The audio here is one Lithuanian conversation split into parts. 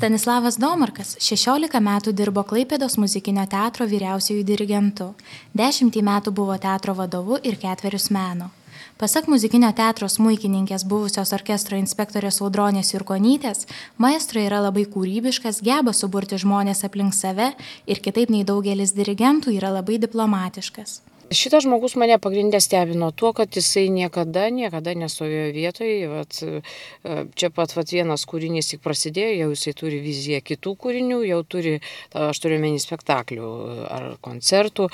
Stanislavas Domarkas 16 metų dirbo Klaipėdos muzikinio teatro vyriausiuoju dirigentu, 10 metų buvo teatro vadovu ir 4 meno. Pasak muzikinio teatro smuikininkės buvusios orkestro inspektorės Audronės Jurkonytės, maestro yra labai kūrybiškas, geba suburti žmonės aplink save ir kitaip nei daugelis dirigentų yra labai diplomatiškas. Šitas žmogus mane pagrindė stebino tuo, kad jisai niekada nestovėjo vietoje. Čia pat vienas kūrinys tik prasidėjo, jau jisai turi viziją kitų kūrinių, jau turi, aš turiu menį spektaklių ar koncertų,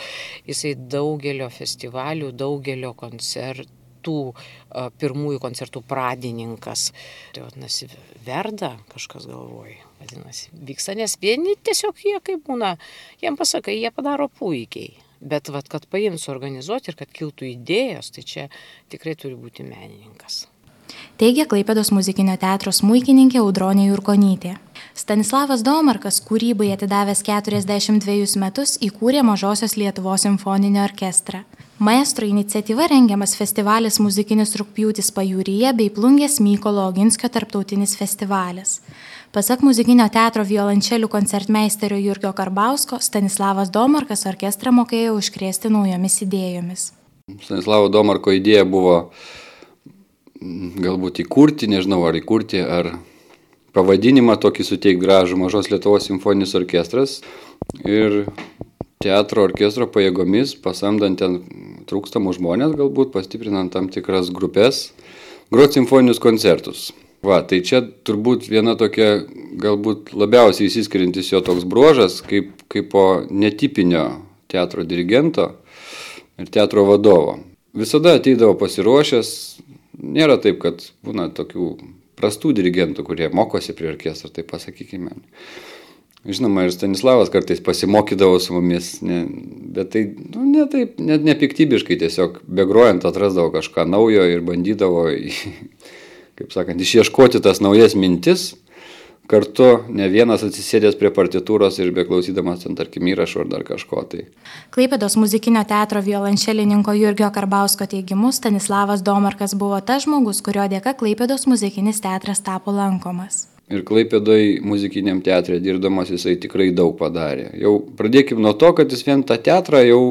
jisai daugelio festivalių, daugelio koncertų, pirmųjų koncertų pradininkas. Tai vadinasi, verda kažkas galvoja, vadinasi, vyksta, nes vieni tiesiog jie kaip būna, jiem pasakai, jie padaro puikiai. Bet kad paimti, suorganizuoti ir kad kiltų idėjos, tai čia tikrai turi būti menininkas. Teigia Klaipėdos muzikinio teatro smuikininkė Audronė Jurkonytė. Stanislavas Domarkas kūrybai atidavęs 42 metus įkūrė Mažosios Lietuvos simfoninį orkestrą. Maestro iniciatyva rengiamas festivalis Muzikinis rugpjūtis Pajūryje bei Plungės Mykolo Oginskio tarptautinis festivalis. Pasak muzikinio teatro violončelių koncertmeisterio Jurgio Karbausko, Stanislavas Domarkas orkestrą mokėjo užkrėsti naujomis idėjomis. Stanislavo Domarko idėja buvo galbūt įkurti, nežinau ar įkurti, ar pavadinimą tokį suteikti gražų Mažos Lietuvos simfoninis orkestras ir teatro orkestro pajėgomis, pasamdant ten trūkstamų žmonės, galbūt pastiprinant tam tikras grupės, groti simfoninius koncertus. Tai čia turbūt viena tokia galbūt labiausiai įsiskiriantis jo toks bruožas, kaip po netipinio teatro dirigento ir teatro vadovo. Visada ateidavo pasiruošęs, nėra taip, kad būna tokių prastų dirigentų, kurie mokosi prie orkestro, taip pasakykime. Žinoma, ir Stanislavas kartais pasimokydavo su mumis, bet tai net nepiktybiškai, tiesiog begrojant atrasdavo kažką naujo ir bandydavo kaip sakant, išieškoti tas naujas mintis, kartu ne vienas atsisėdęs prie partitūros ir beklausydamas ten, tarkim, įrašų ar dar kažko. Klaipėdos muzikinio teatro violončelininko Jurgio Karbausko teigimu, Stanislavas Domarkas buvo tas žmogus, kurio dėka Klaipėdos muzikinis teatras tapo lankomas. Ir Klaipėdoj muzikiniam teatre dirbdamas jisai tikrai daug padarė. Jau pradėkim nuo to, kad jis vien tą teatrą jau,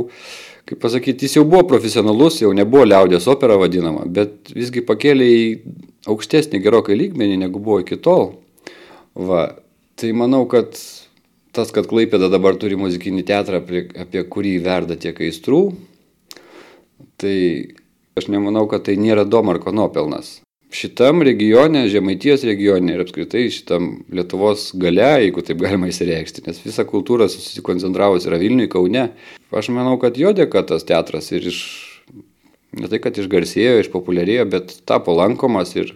kaip pasakyti, jis jau buvo profesionalus, jau nebuvo liaudies opera vadinama, bet visgi pakėlė į aukštesnį gerokai lygmenį, negu buvo iki tol. Tai manau, kad kad Klaipėda dabar turi muzikinį teatrą, apie kurį verda tiek aistrų, tai aš nemanau, kad tai nėra Domarko nuopelnas. Šitam regione, Žemaitijos regione ir apskritai šitam Lietuvos gale, jeigu taip galima įsireikšti, nes visa kultūra susikoncentravus yra Vilniuje, Kaune. Aš manau, kad jo dėka tas teatras ir ne tai, kad išgarsėjo, išpopuliarėjo, bet tapo lankomas ir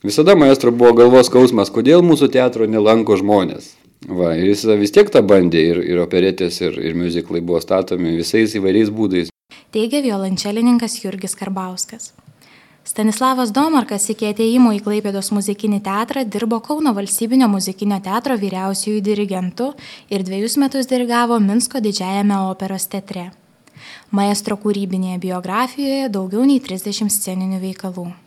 visada maestro buvo galvos skausmas, kodėl mūsų teatro nelanko žmonės. Ir jis vis tiek tą bandė ir operetės, ir miuziklai buvo statomi visais įvairiais būdais. Teigia violončelininkas Jurgis Karbauskas. Stanislavas Domarkas iki atėjimo į Klaipėdos muzikinį teatrą dirbo Kauno valstybinio muzikinio teatro vyriausiuoju dirigentu ir 2 metus dirigavo Minsko didžiajame operos teatre. Maestro kūrybinėje biografijoje daugiau nei 30 sceninių veikalų.